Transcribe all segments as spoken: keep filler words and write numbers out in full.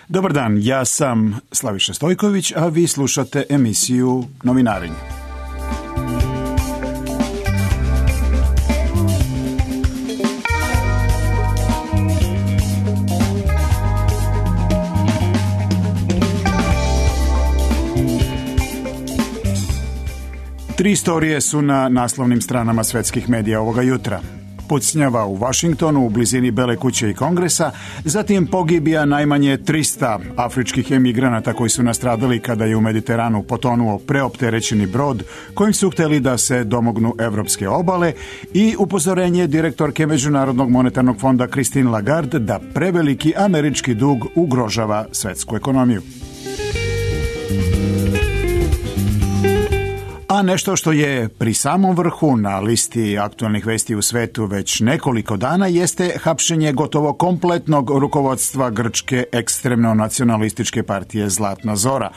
Dobar dan, ja sam Slaviša Stojković, a vi slušate emisiju Novinarenje. Tri istorije su na naslovnim stranama svetskih medija ovoga jutra. Pucnjava u Vašingtonu u blizini Bele kuće i Kongresa, zatim pogibija najmanje trista afričkih emigranata koji su nastradali kada je u Mediteranu potonuo preopterećeni brod kojim su hteli da se domognu evropske obale i upozorenje direktorke Međunarodnog monetarnog fonda Christine Lagarde da preveliki američki dug ugrožava svetsku ekonomiju. A nešto što je pri samom vrhu na listi aktualnih vesti u svetu već nekoliko dana jeste hapšenje gotovo kompletnog rukovodstva grčke ekstremno nacionalističke partije Zlatna Zora.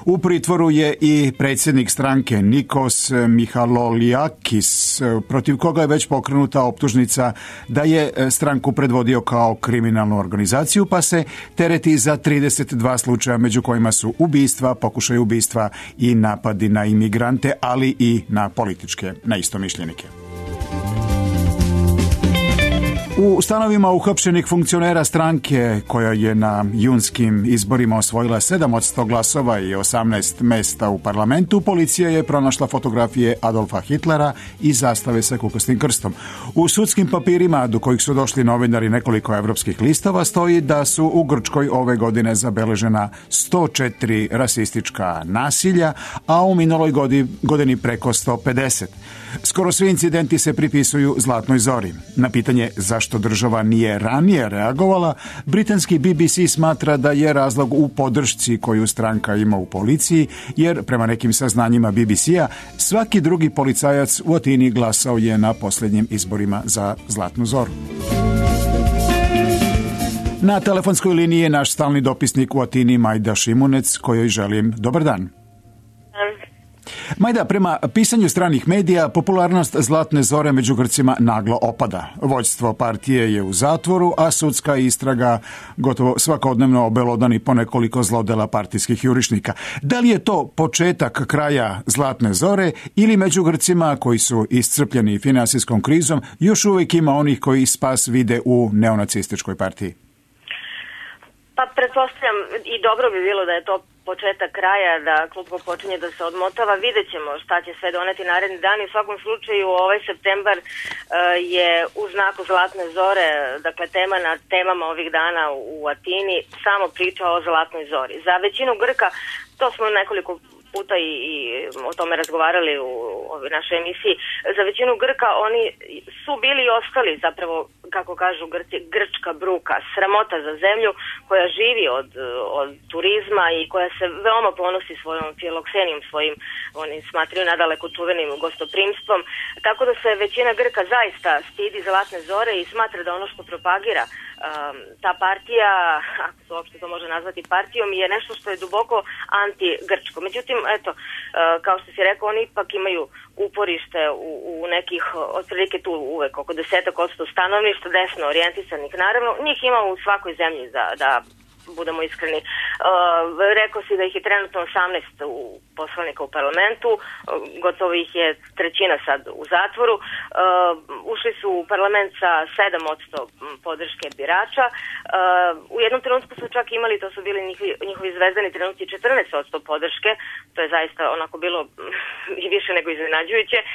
U pritvoru je i predsjednik stranke Nikos Michaloliakis, protiv koga je već pokrenuta optužnica da je stranku predvodio kao kriminalnu organizaciju, pa se tereti za trideset dva slučaja, među kojima su ubistva, pokušaj ubistva i napadi na imigrante, ali i na političke neistomišljenike. U stanovima uhapšenih funkcionera stranke, koja je na junskim izborima osvojila sedam od sto glasova i osamnaest mesta u parlamentu, policija je pronašla fotografije Adolfa Hitlera i zastave sa kukastim krstom. U sudskim papirima, do kojih su došli novinari nekoliko evropskih listova, stoji da su u Grčkoj ove godine zabeležena sto četiri rasistička nasilja, a u minuloj godini preko sto pedeset. Skoro svi incidenti se pripisuju Zlatnoj Zori. Na pitanje zašto država nije ranije reagovala, britanski B B C smatra da je razlog u podršci koju stranka ima u policiji, jer prema nekim saznanjima B B C-a svaki drugi policajac u Atini glasao je na posljednjim izborima za Zlatnu Zoru. Na telefonskoj liniji je naš stalni dopisnik u Atini Majda Šimunec, kojoj želim dobar dan. Majda, prema pisanju stranih medija, popularnost Zlatne Zore među Grcima naglo opada. Vođstvo partije je u zatvoru, a sudska istraga gotovo svakodnevno obelodani po nekoliko zlodela partijskih jurišnika. Da li je to početak kraja Zlatne Zore ili među Grcima koji su iscrpljeni finansijskom krizom još uvijek ima onih koji spas vide u neonacističkoj partiji? Pa pretpostavljam i dobro bi bilo da je to početak kraja, da klub počinje da se odmotava. Vidjet ćemo šta će sve doneti naredni dan i u svakom slučaju ovaj septembar uh, je u znaku Zlatne Zore, dakle tema na temama ovih dana u Atini, samo priča o Zlatnoj Zori. Za većinu Grka, to smo nekoliko puta i, i o tome razgovarali u ovoj našoj emisiji, za većinu Grka oni su bili i ostali zapravo, kako kažu Grci, grčka bruka, sramota za zemlju koja živi od, od turizma i koja se veoma ponosi svojom filoksenijom, svojim, oni smatraju nadaleko čuvenim gostoprimstvom, tako da se većina Grka zaista stidi Zlatne Zore i smatra da ono što propagira um, ta partija, ako se uopšte to može nazvati partijom, je nešto što je duboko anti-grčko. Međutim, eto, uh, kao što si rekao, oni ipak imaju uporište u, u nekih, otprilike tu uvek oko desetak odsto stanovništva, desno orijentisanih, naravno, njih ima u svakoj zemlji, da, da budemo iskreni. Uh, rekao si da ih je trenutno osamnaest u poslanika u parlamentu, uh, gotovo ih je trećina sad u zatvoru. Uh, ušli su u parlament sa sedam odsto podrške birača. Uh, u jednom trenutku su čak imali, to su bili njihovi, njihovi zvezdani trenutci, četrnaest odsto podrške. To je zaista onako bilo i više nego iznenađujuće. Uh,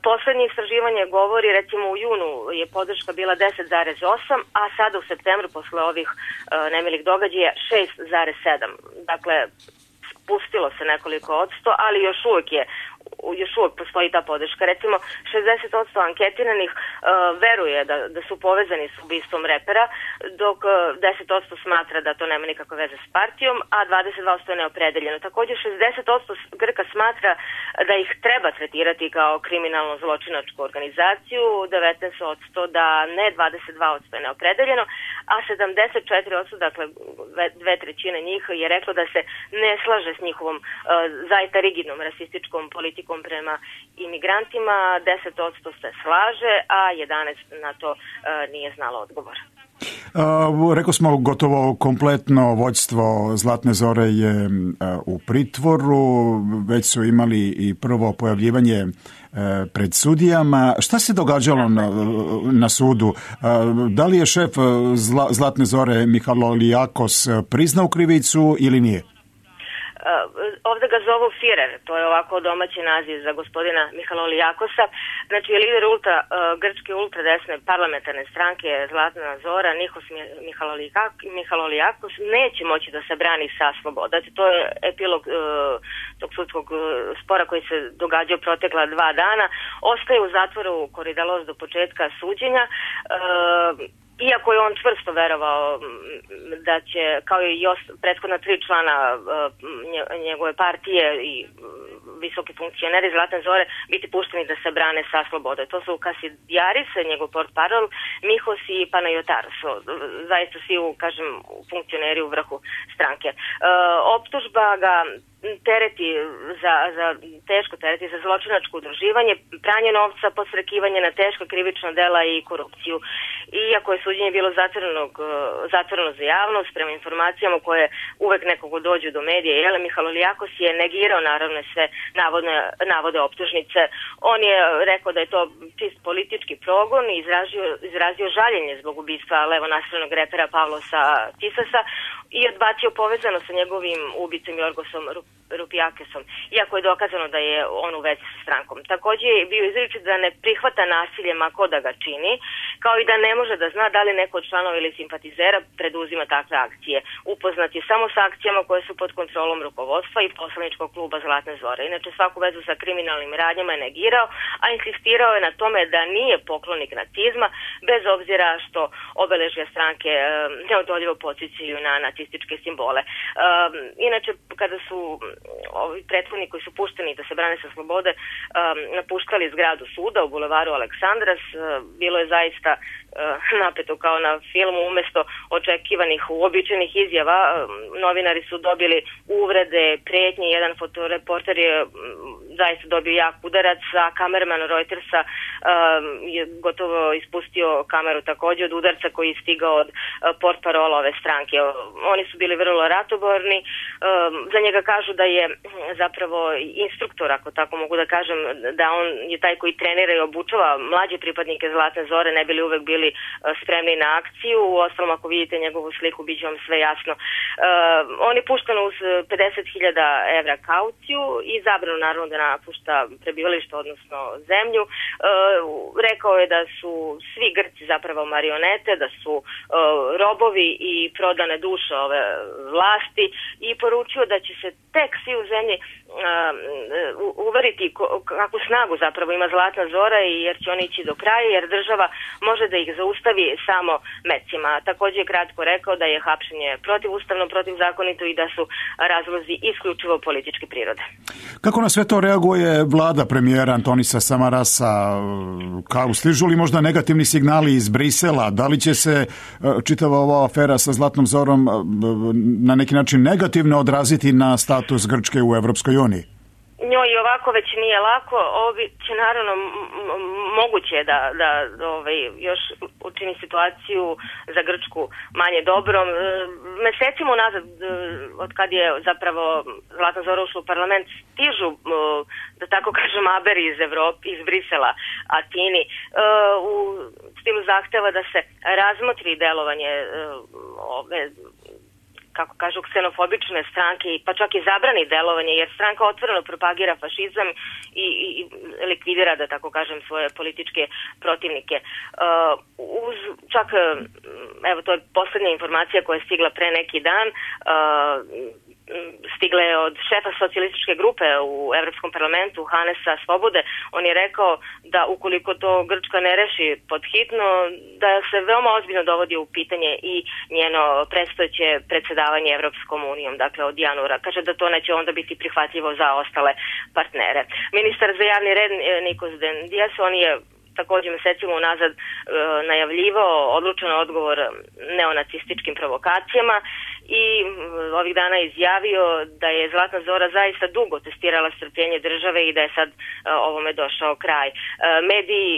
poslednje istraživanje govori, recimo u junu je podrška bila deset zarez osam, a sada u septembru posle ovih uh, nemilih događaja šest zarez sedam. Dakle, spustilo se nekoliko odsto, ali još uvijek je još uvijek postoji ta podrška. Recimo, šezdeset odsto anketiranih uh, veruje da, da su povezani s ubistvom repera, dok uh, deset odsto smatra da to nema nikakve veze s partijom, a dvadeset dva odsto je neopredeljeno. Također, šezdeset odsto Grka smatra da ih treba tretirati kao kriminalno zločinačku organizaciju, devetnaest odsto da ne, dvadeset dva odsto je neopredeljeno, a sedamdeset četiri odsto, dakle dve trećine njih, je reklo da se ne slaže s njihovom uh, zaista rigidnom rasističkom politikom prema imigrantima, deset odsto se slaže, a jedanaest na to uh, nije znalo odgovor. Uh, rekao smo, gotovo kompletno vođstvo Zlatne Zore je uh, u pritvoru, već su imali i prvo pojavljivanje uh, pred sudijama. Šta se događalo na, na sudu? Uh, da li je šef Zla, Zlatne Zore Michaloliakos priznao krivicu ili nije? Ovde ga zovu Firer, to je ovako domaći naziv za gospodina Michaloliakosa. Znači, lider ultra, grčke ultradesne parlamentarne stranke Zlatna Zora, Nikos Michaloliakos, neće moći da se brani sa slobode. Znači, to je epilog uh, tog sudskog spora koji se događao protekla dva dana. Ostaje u zatvoru Koridalos do početka suđenja. Uh, Iako je on čvrsto verovao da će, kao i prethodna tri člana njegove partije i visoki funkcioneri Zlatne Zore, biti pušteni da se brane sa slobode. To su Kasidiaris, njegov portparol, Mihos i Panayotaros. Zaista svi, kažem, funkcioneri u vrhu stranke. Optužba ga tereti za, za teško tereti za zločinačko udruživanje, pranje novca, podstrekivanje na teška krivična dela i korupciju. Iako je suđenje bilo zatvoreno za javnost, prema informacijama koje uvek nekog dođu do medija, Jele Michaloliakos je negirao naravno sve navodne, navode optužnice. On je rekao da je to čist politički progon i izrazio, izrazio žaljenje zbog ubistva levonasilnog repera Pavlosa Tisasa i odbacio povezano sa njegovim ubicom Jorgosom Rupijakesom, iako je dokazano da je on u vezi sa strankom. Takođe je bio izričit da ne prihvata nasilje ma ko da ga čini, kao i da ne može da zna da li neko od članova ili simpatizera preduzima takve akcije. Upoznat je samo sa akcijama koje su pod kontrolom rukovodstva i poslaničkog kluba Zlatne Zore. Inače, svaku vezu sa kriminalnim radnjama je negirao, a insistirao je na tome da nije poklonik nacizma, bez obzira što obeležja stranke e, neodoljivo podsjećaju na nacističke simbole. E, inače, kada su ovi prethodni koji su pušteni da se brane sa slobode um, napuštali zgradu suda u bulevaru Aleksandras, uh, bilo je zaista uh, napeto kao na filmu. Umesto očekivanih uobičajenih izjava, uh, novinari su dobili uvrede, pretnje. Jedan fotoreporter je um, zaista dobio jak udarac, a kamerman Reutersa uh, je gotovo ispustio kameru takođe od udarca koji je stigao od uh, portparola ove stranke. Oni su bili vrlo ratoborni. Uh, za njega kažu da je zapravo instruktor, ako tako mogu da kažem, da on je taj koji trenira i obučava mlađe pripadnike Zlatne Zore, ne bili uvek bili spremni na akciju. U ostalom, ako vidite njegovu sliku, bit će vam sve jasno. Uh, on je pušten uz pedeset hiljada evra kauciju i zabranu naravno da napušta prebivalište, odnosno zemlju. Uh, rekao je da su svi Grci zapravo marionete, da su uh, robovi i prodane duše ove vlasti i poručio da će se tek svi u zemlji uh, uveriti kakvu snagu zapravo ima Zlatna Zora i jer će oni ići do kraja, jer država može da ih zaustavi samo mecima. Takođe je kratko rekao da je hapšenje protivustavno, protivzakonito i da su razlozi isključivo političke prirode. Kako na sve to reaguje vlada premijera Antonisa Samarasa? Kao, stižu li možda negativni signali iz Brisela? Da li će se čitava ova afera sa Zlatnom Zorom na neki način negativno odraziti na status Grčke u Evropskoj uniji? Njoj i ovako već nije lako. Ovo bi će naravno moguće da, da ovaj, još učini situaciju za Grčku manje dobrom. Mesecima unazad, od kad je zapravo Zlatna Zora ušla u parlament, stižu, da tako kažem, aberi iz Evrope, iz Brisela, Atini, u stilu zahteva da se razmotri delovanje ove, kako kažu, ksenofobične stranke, pa čak i zabrani delovanje, jer stranka otvoreno propagira fašizam i, i likvidira, da tako kažem, svoje političke protivnike. Uh, uz, čak, evo, to je poslednja informacija koja je stigla pre neki dan, uh, stigle je od šefa socijalističke grupe u Evropskom parlamentu, Hanesa Svobode. On je rekao da ukoliko to Grčka ne reši podhitno, da se veoma ozbiljno dovodi u pitanje i njeno predstojeće predsedavanje Evropskom unijom, dakle od januara. Kaže da to neće onda biti prihvatljivo za ostale partnere. Ministar za javni red Nikos Dendias, on je takođe mesecima unazad e, najavljivao odlučan odgovor neonacističkim provokacijama i ovih dana izjavio da je Zlatna Zora zaista dugo testirala strpljenje države i da je sad ovome došao kraj. Mediji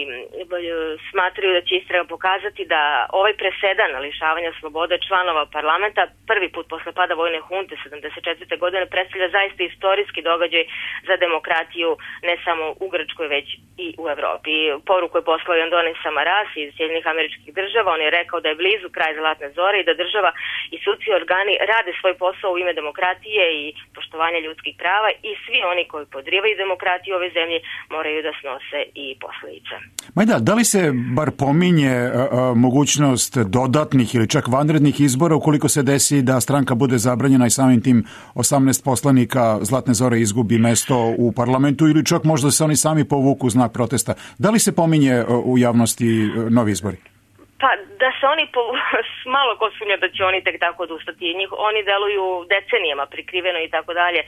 smatraju da će istraga pokazati da ovaj presedan lišavanja slobode članova parlamenta prvi put posle pada vojne hunte sedamdeset četvrte godine predstavlja zaista istorijski događaj za demokratiju ne samo u Grčkoj već i u Evropi. Poruku je poslao i Andonis Samaras iz Sjedinjenih Američkih Država. On je rekao da je blizu kraj Zlatne Zore i da država i sudski organi rade svoj posao u ime demokratije i poštovanja ljudskih prava i svi oni koji podrivaju demokratiju ove zemlje moraju da snose i posledice. Majda, da li se bar pominje a, a, mogućnost dodatnih ili čak vanrednih izbora ukoliko se desi da stranka bude zabranjena i samim tim osamnaest poslanika Zlatne Zore izgubi mesto u parlamentu ili čak možda se oni sami povuku u znak protesta? Da li se pominje a, u javnosti a, novi izbori? Pa da se oni, po, malo ko sumnja da će oni tek tako odustati. Njih, oni deluju decenijama prikriveno i tako dalje.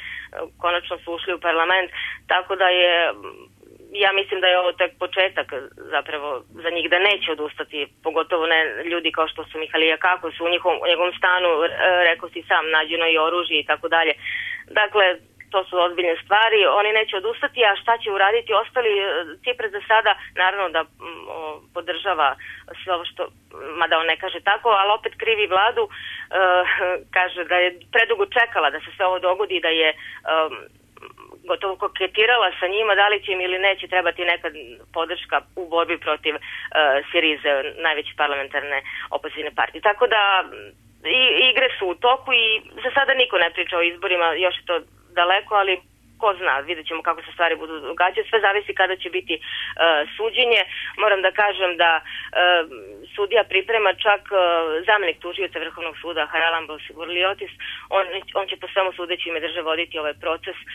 Konačno su ušli u parlament, tako da je, ja mislim da je ovo tek početak zapravo za njih da neće odustati, pogotovo ne ljudi kao što su Mihalija Kakos u njihovom, u njegovom stanu, rekao si sam, nađeno i oružje i tako dalje. Dakle, to su ozbiljne stvari, oni neće odustati, a šta će uraditi ostali? Cipras za sada, naravno da o, podržava sve ovo što, mada on ne kaže tako, ali opet krivi vladu, e, kaže da je predugo čekala da se sve ovo dogodi, da je e, gotovo koketirala sa njima, da li će im ili neće trebati neka podrška u borbi protiv e, Sirize, najveće parlamentarne opozicijne partije. Tako da i, igre su u toku i za sada niko ne priča o izborima, još je to daleko, ali ko zna, vidjet ćemo kako se stvari budu događati. Sve zavisi kada će biti uh, suđenje. Moram da kažem da uh, sudija priprema čak uh, zamenik tužioca Vrhovnog suda Haralambos Gurliotis. On, on će po svemu sudeći ime države voditi ovaj proces. Uh,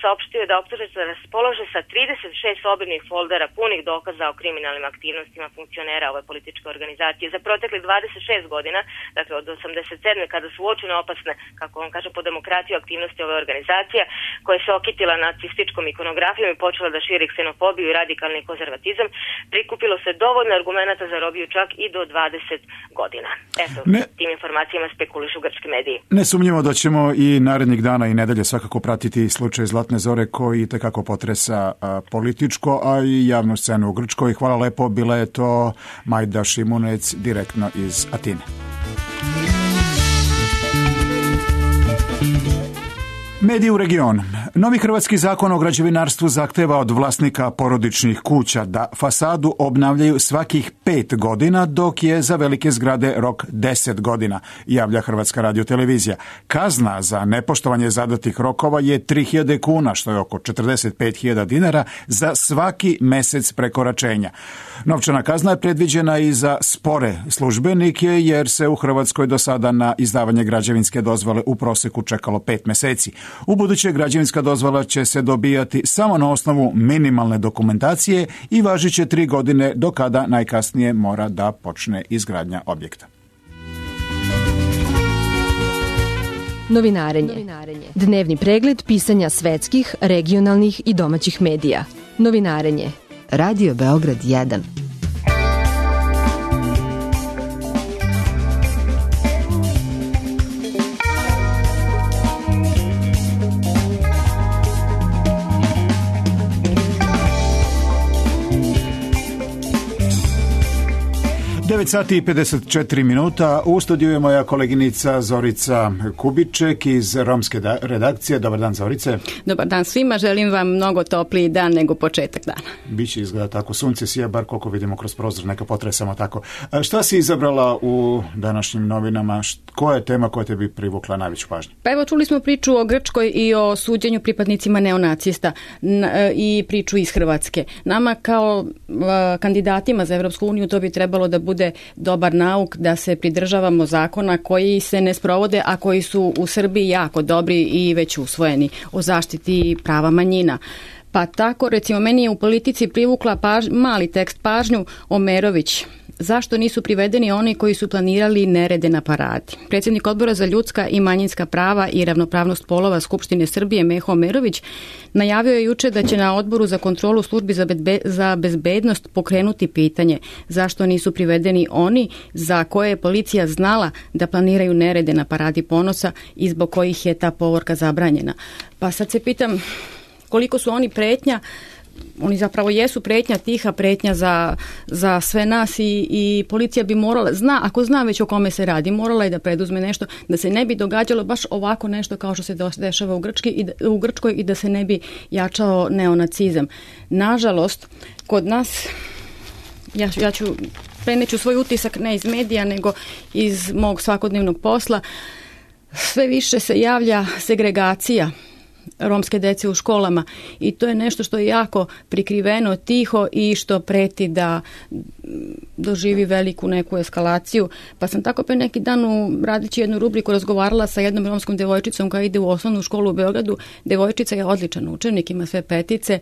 saopštio je da optužnica raspolože sa trideset šest obimnih foldera punih dokaza o kriminalnim aktivnostima funkcionera ove političke organizacije. Za protekli dvadeset šest godina, dakle od osamdeset sedme kada su uočene opasne, kako on kaže, po demokratiju aktivnosti ove organizacije, koje se okitila nacističkom ikonografijom i počela da širi ksenofobiju i radikalni konzervatizam, prikupilo se dovoljno argumenata za robiju čak i do dvadeset godina. Eto, ne, tim informacijama spekulišu grčki mediji. Ne sumnjamo da ćemo i narednih dana i nedelje svakako pratiti slučaj Zlatne Zore koji tekako potresa a, političko, a i javnu scenu u Grčkoj. Hvala lepo, bila je to Majda Šimunec direktno iz Atine. Mediji u regionu. Novi hrvatski zakon o građevinarstvu zahteva od vlasnika porodičnih kuća da fasadu obnavljaju svakih pet godina, dok je za velike zgrade rok deset godina, javlja Hrvatska radiotelevizija. Kazna za nepoštovanje zadatih rokova je tri hiljade kuna, što je oko četrdeset pet hiljada dinara za svaki mesec prekoračenja. Novčana kazna je predviđena i za spore službenike, jer se u Hrvatskoj do sada na izdavanje građevinske dozvole u proseku čekalo pet meseci. U buduće građevinska dozvola će se dobijati samo na osnovu minimalne dokumentacije i važit će tri godine do kada najkasnije mora da počne izgradnja objekta. Novinarenje. Dnevni pregled pisanja svetskih, regionalnih i domaćih medija. Novinarenje. Radio Beograd jedan. devet sati i pedeset četiri minuta. U studiju je moja koleginica Zorica Kubiček iz romske redakcije. Dobar dan, Zorice. Dobar dan svima. Želim vam mnogo topliji dan nego početak dana. Biće izgleda tako. Sunce sija, bar koliko vidimo kroz prozor. Neka potresamo tako. A šta si izabrala u današnjim novinama? Koja je tema koja te bi privukla najveću pažnju? Pa evo, čuli smo priču o Grčkoj i o suđenju pripadnicima neonacista i priču iz Hrvatske. Nama kao kandidatima za Evropsku uniju to bi trebalo da bude dobar nauk, da se pridržavamo zakona koji se ne sprovode, a koji su u Srbiji jako dobri i već usvojeni, o zaštiti prava manjina. Pa tako, recimo, meni je u Politici privukla paž, mali tekst pažnju Omerović, zašto nisu privedeni oni koji su planirali nerede na paradi. Predsjednik Odbora za ljudska i manjinska prava i ravnopravnost polova Skupštine Srbije Meho Omerović najavio je juče da će na Odboru za kontrolu službi za, bedbe, za bezbednost pokrenuti pitanje zašto nisu privedeni oni za koje je policija znala da planiraju nerede na paradi ponosa i zbog kojih je ta povorka zabranjena. Pa sad se pitam koliko su oni pretnja. Oni zapravo jesu pretnja, tiha pretnja za, za sve nas i, i policija bi morala, zna, ako zna već o kome se radi, morala je da preduzme nešto, da se ne bi događalo baš ovako nešto kao što se dešava u, Grčki i da, u Grčkoj i da se ne bi jačao neonacizam. Nažalost, kod nas, ja, ja ću preneću svoj utisak ne iz medija, nego iz mog svakodnevnog posla, sve više se javlja segregacija romske dece u školama i to je nešto što je jako prikriveno, tiho i što preti da doživi veliku neku eskalaciju. Pa sam tako pre neki dan u radeći jednu rubriku razgovarala sa jednom romskom devojčicom koja ide u osnovnu školu u Beogradu. Devojčica je odličan učenik, ima sve petice,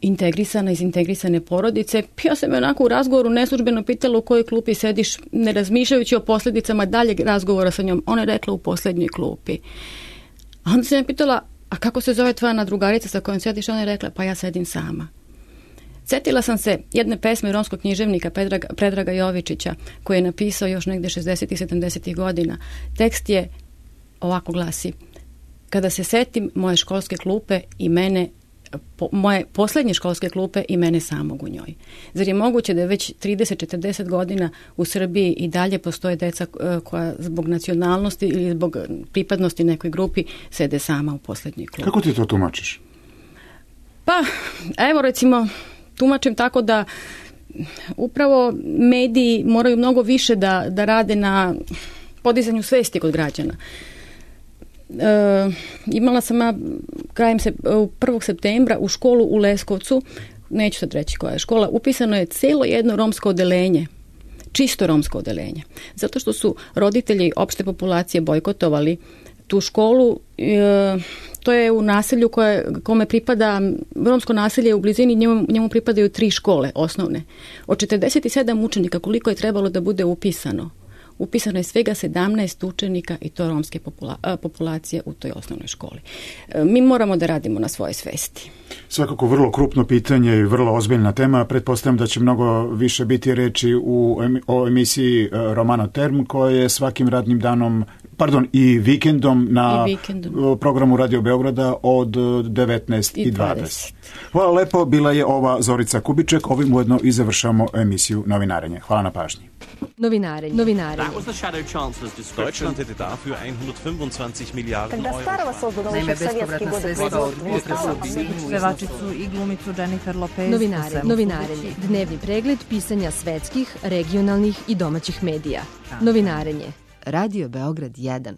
integrisana iz integrisane porodice. Ja sam je onako u razgovoru neslužbeno pitala u kojoj klupi sediš, ne razmišljajući o posljedicama daljeg razgovora sa njom. Ona je rekla u posljednjoj klupi. A onda sam je pitala, a kako se zove tvoja drugarica sa kojom sediš? Ona je rekla, pa ja sedim sama. Sjetila sam se jedne pesme romskog književnika Predraga, Predraga Jovičića, koji je napisao još negde šezdesetih sedamdesetih godina. Tekst je ovako glasi: kada se setim moje školske klupe i mene, po, moje posljednje školske klupe i mene samog u njoj. Zar je moguće da je već trideset do četrdeset godina u Srbiji i dalje postoje deca koja zbog nacionalnosti ili zbog pripadnosti nekoj grupi sede sama u posljednjoj klupi? Kako ti to tumačiš? Pa, evo recimo, tumačim tako da upravo mediji moraju mnogo više da, da rade na podizanju svesti kod građana. E, imala sam ja krajem se, prvog septembra u školu u Leskovcu, neću sad reći koja je škola, upisano je celo jedno romsko odeljenje, čisto romsko odeljenje, zato što su roditelji opšte populacije bojkotovali tu školu. E, to je u naselju koje, kome pripada, romsko naselje u blizini, njemu, njemu pripadaju tri škole osnovne. Od četrdeset sedam učenika koliko je trebalo da bude upisano, upisano je svega sedamnaest učenika i to romske popula- populacije u toj osnovnoj školi. Mi moramo da radimo na svoje svesti. Svakako vrlo krupno pitanje i vrlo ozbiljna tema. Pretpostavljam da će mnogo više biti reči u, o emisiji Romano Term, koja je svakim radnim danom, pardon, i vikendom na I vikendom. programu Radio Beograda od devetnaest i dvadeset. Hvala lepo, bila je ova Zorica Kubiček. Ovim ujedno i završamo emisiju Novinarenje. Hvala na pažnji. Novinarenje. Novinarenje. Deutschland hätte dafür hundertfünfundzwanzig Milliarden Когда Euro. старого созданного Naime, еще в советские bespovratna годы sredstva od производства Butresa pevačicu i glumicu Jennifer Lopez. Novinarenje. Novinarenje. Dnevni pregled pisanja svetskih, regionalnih i domaćih medija. Novinarenje. Radio Beograd jedan.